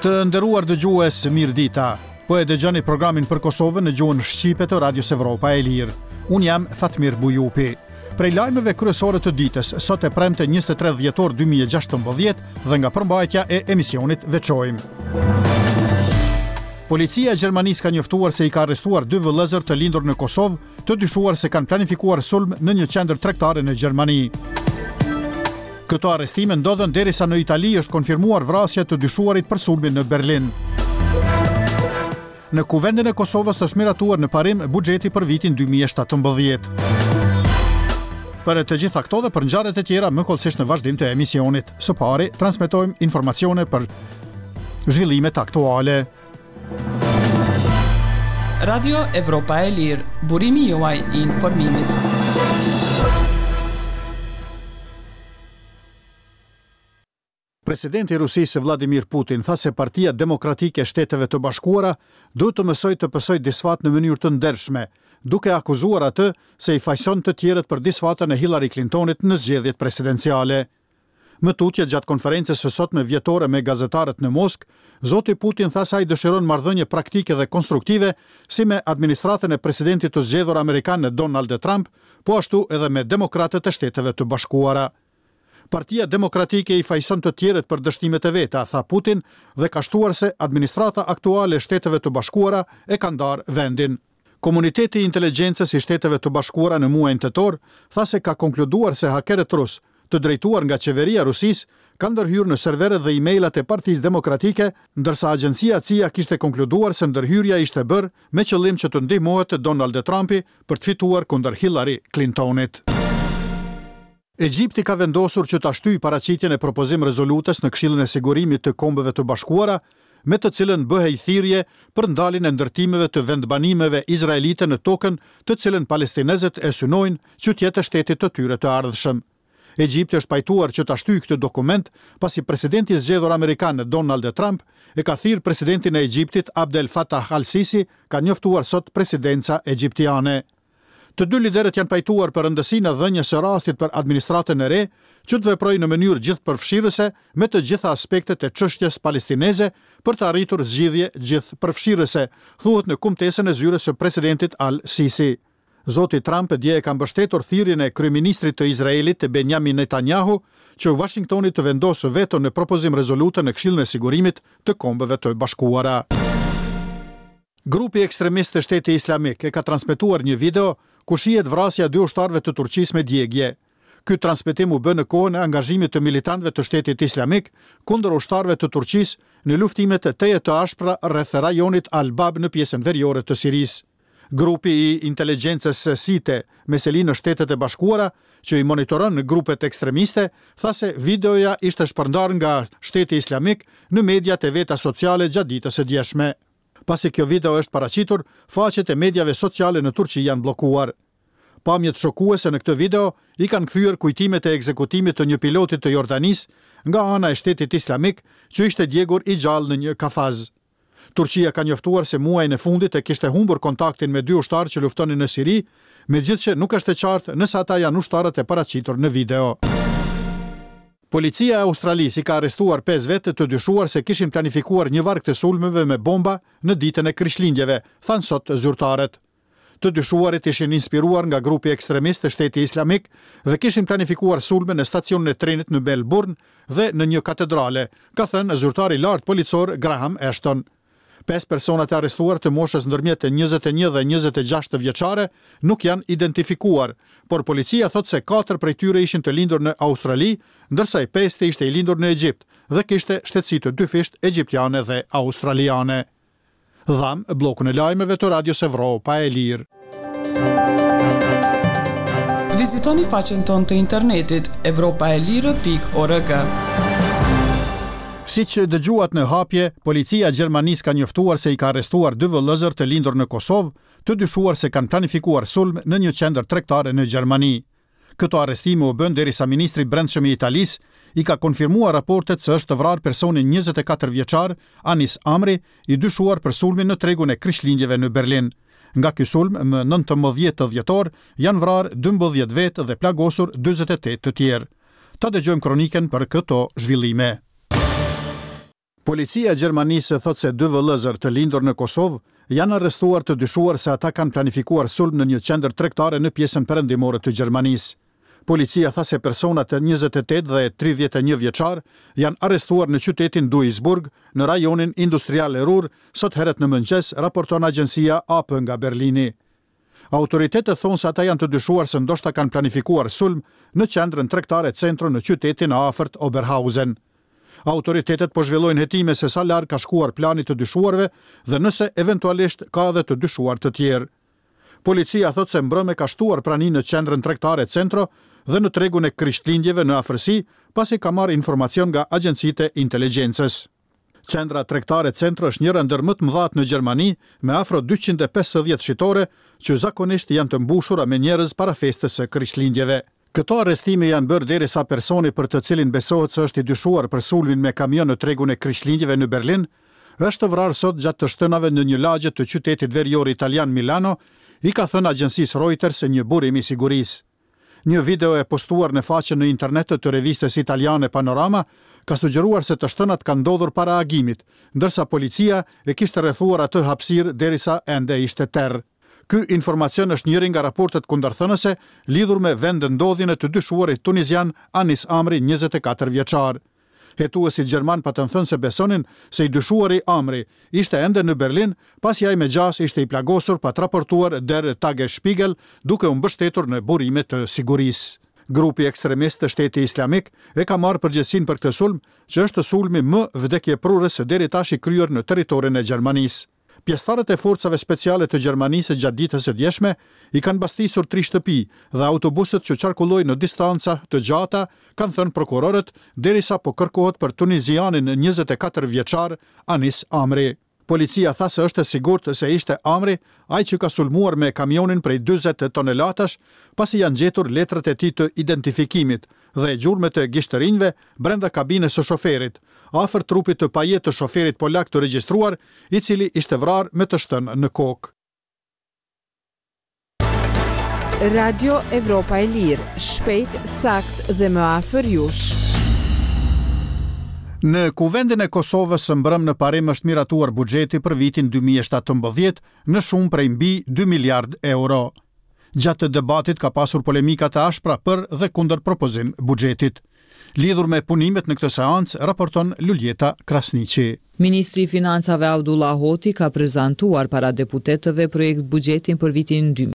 Të nderuar dëgjues, mirëdita. Po e dëgjoni programin për Kosovën në gjuhën shqipe të Radios Evropa e Lirë. Unë jam Fatmir Bujupi. Prej lajmeve kryesore të ditës, sot e premte 23 dhjetor 2016 dhe nga përmbajtja e emisionit veçojmë. Policia e Gjermanisë ka njoftuar se i ka arrestuar dy vëllezër të lindur në Kosovë, të dyshuar se kanë planifikuar sulm në një qendër tregtare në Gjermani. Këto arrestime ndodhën derisa në Itali është konfirmuar vrasja e të dyshuarit për sulmin në Berlin. Në Kuvendin e Kosovës është miratuar në parim buxheti për vitin 2017. Për të gjitha këto dhe për ngjarjet e tjera më hollësisht në vazhdim të emisionit. Së pari, transmetojmë informacione për zhvillimet aktuale. Radio Evropa e Lirë, burimi juaj i informimit. Presidenti i Rusisë Vladimir Putin tha se Partia Demokratike e Shteteve të Bashkuara duhet të mësojë të pësojë disfatë në mënyrë të ndershme, duke akuzuar atë se i fajëson të tjerët për disfatën e Hillary Clintonit në zgjedhjet presidenciale. Më tutje gjatë konferencës së sotme vjetore me gazetarët në Moskë, zoti Putin tha se ai dëshiron marrëdhënie praktike dhe konstruktive si me administratën e presidentit të zgjedhur amerikan Donald Trump, po ashtu edhe me demokratët e Shteteve të Bashkuara. Partia Demokratike i fajëson të tjerët për dështimet e veta, tha Putin dhe ka shtuar se administrata aktuale e Shteteve të Bashkuara e ka ndarë vendin. Komuniteti i Inteligjencës i Shteteve të Bashkuara në muajin tetor tha se ka konkluduar se hakerët rusë, të drejtuar nga qeveria e Rusisë, kanë ndërhyrë në serverët dhe e-mailat e Partisë Demokratike, ndërsa agjencia CIA kishte konkluduar se ndërhyrja ishte bërë me qëllim që të ndihmohet Donald Trumpi për të fituar kundër Hillary Clintonit. Egjipti ka vendosur që ta shtyjë paraqitjen e propozim-rezolutës në Këshillin e Sigurimit të Kombeve të Bashkuara, me të cilën bëhej thirrje për ndaljen e ndërtimeve të vendbanimeve izraelite në tokën të cilën palestinezët e synojnë që të jetë e shtetit të tyre të ardhshëm. Egjipti është pajtuar që ta shtyjë këtë dokument, pasi presidenti i zgjedhur amerikan Donald Trump e ka thirrë presidentin e Egjiptit Abdel Fattah al-Sisi, ka njoftuar sot presidenca egjiptiane. Të dy liderët janë pajtuar për rëndësinë e dhënies së rastit për administratën e re që të veprojë në mënyrë gjithëpërfshirëse me të gjitha aspektet e çështjes palestineze për të arritur zgjidhje gjithëpërfshirëse, thuhet në kumtesën e zyrës së presidentit Al-Sisi. Zoti Trump dje e ka mbështetur thirrjen e kryeministrit të Izraelit, Benjamin Netanyahu, që Uashingtoni të vendosë veto në propozim-rezolutën në Këshillin e Sigurimit të Kombeve të Bashkuara. Grupi ekstremist Shteti Islamik e ka transmetuar një video ku shihet vrasja e dy ushtarëve të Turqisë me djegie. Ky transmetim u bë në kohën e angazhimit të militantëve të Shtetit Islamik kundër ushtarëve të Turqisë në luftimet tejet të ashpra rreth rajonit Al-Bab në pjesën veriore të Sirisë. Grupi i inteligjencës SITE, me seli në Shtetet e Bashkuara, që i monitoron grupet ekstremiste, tha se videoja ishte shpërndarë nga Shteti Islamik në mediat e veta sociale gjatë ditës së djeshme. Pasi kjo video është paraqitur, faqet e mediave sociale në Turqi janë bllokuar. Pamjet shokuese në këtë video i kanë kthyer kujtimet e ekzekutimit të një piloti të Jordanisë nga ana e Shtetit Islamik që ishte djegur i gjallë në një kafaz. Turqia ka njoftuar se muajin e fundit e kishte humbur kontaktin me dy ushtarë që luftonin në Siri, megjithëse nuk është e qartë nëse ata janë ushtarët e paraqitur në video. Policia e Australisë i ka arrestuar pesë vetë të dyshuar se kishin planifikuar një varg të sulmeve me bomba në ditën e Krishtlindjeve, thanë sot zyrtarët. Të dyshuarit ishin inspiruar nga grupi ekstremist Shteti Islamik dhe kishin planifikuar sulme në stacionin e trenit në Melburn dhe në një katedrale, ka thënë zyrtari i lartë policor Graham Ashton. Pesë personat e arrestuar të moshës ndërmjet 21 dhe 26 vjeçare nuk janë identifikuar, por policia thotë se katër prej tyre ishin të lindur në Australi, ndërsa i pesti ishte i lindur në Egjipt dhe kishte shtetësi të dyfishtë egjiptiane dhe australiane. Dhamë bllokun e lajmeve të Radios Evropa e Lirë. Vizitoni faqen tonë të internetit evropaelire.org. Siç dëgjuat në hapje, policia e Gjermanisë ka njoftuar se i ka arrestuar dy vëllezër të lindur në Kosovë, të dyshuar se kanë planifikuar sulm në një qendër tregtare në Gjermani. Këto arrestime u bënë derisa ministri i Brendshëm i Italisë i ka konfirmuar raportet se është vrarë personi 24 vjeçar, Anis Amri, i dyshuar për sulmin në tregun e Krishtlindjeve në Berlin. Nga ky sulm, më 19 dhjetor, janë vrarë 12 vetë dhe plagosur 48 të tjerë. Ta dëgjojmë kronikën për këto zhvillime. Policia e Gjermanisë thotë se dy vëllezër të lindur në Kosovë janë arrestuar të dyshuar se ata kanë planifikuar sulm në një qendër tregtare në pjesën perëndimore të Gjermanisë. Policia tha se personat 28 dhe 31 vjeçar janë arrestuar në qytetin Duisburg, në rajonin industrial Ruhr, sot herët në mëngjes, raporton agjencia AP nga Berlini. Autoritetet thonë se ata janë të dyshuar se ndoshta kanë planifikuar sulm në qendrën tregtare Centro në qytetin e afërt Oberhausen. Autoritetet po zhvillojnë hetime se sa larg ka shkuar plani i të dyshuarve dhe nëse eventualisht ka edhe të dyshuar të tjerë. Policia thotë se mbrëmë ka shtuar praninë në qendrën tregtare Centro dhe në tregun e Krishtlindjeve në afërsi, pasi ka marrë informacion nga agjencitë e inteligjencës. Qendra tregtare Centro është njëra ndër më të mëdhatë në Gjermani, me afro 250 shitore, që zakonisht janë të mbushura me njerëz para festës së Krishtlindjeve. Këto arrestime janë bërë derisa personi për të cilin besohet se është i dyshuar për sulmin me kamion në tregun e Krishtlindjeve në Berlin, është vrarë sot gjatë të shtënave në një lagje të qytetit verior italian Milano, i ka thënë agjencisë Reuters një burim i sigurisë. Një video e postuar në faqen në internet të revistës italiane Panorama ka sugjeruar se të shtënat kanë ndodhur para agimit, ndërsa policia e kishte rrethuar atë hapësirë derisa ende ishte terr. Ky informacion është njëri nga raportet kundërthënëse lidhur me vendndodhjen e të dyshuarit tunizian Anis Amri, 24 vjeçar. Hetuesit gjermanë patën thënë se besonin se i dyshuari Amri ishte ende në Berlin, pasi ai me gjasë ishte i plagosur pat raportuar Der Tagesspiegel duke u mbështetur në burime të sigurisë. Grupi ekstremist Shteti Islamik e ka marrë përgjegjësinë për këtë sulm, që është sulmi më vdekjeprurës deri tash i kryer në territorin e Gjermanisë. Pjesëtarët e forcave speciale të Gjermanisë gjatë ditës së djeshme i kanë bastisur tri shtëpi dhe autobusët që qarkullojnë në distanca të gjata, kanë thënë prokurorët, derisa po kërkohet për tunizianin 24 vjeçar Anis Amri. Policia tha se është e sigurt se ishte Amri ai që ka sulmuar me kamionin prej 40 tonelatash, pasi janë gjetur letrat e tij të identifikimit dhe gjurmët e gishtërinjve brenda kabinës së shoferit, afër trupit të pajetë të shoferit polak të regjistruar, i cili ishte vrarë me të shtënë në kokë. Radio Evropa e Lirë, shpejt, saktë dhe më afër jush. Në Kuvendin e Kosovës mbrëmë në parim është miratuar buxheti për vitin 2017 në shumë prej mbi 2 miliard euro. Gjatë debatit ka pasur polemika të ashpra për dhe kundër propozim buxhetit. Lidhur me punimet në këtë seancë, raporton Luljeta Krasniqi. Ministri i Financave Avdullah Hoti ka prezantuar para deputetëve projekt buxhetin për vitin 2017.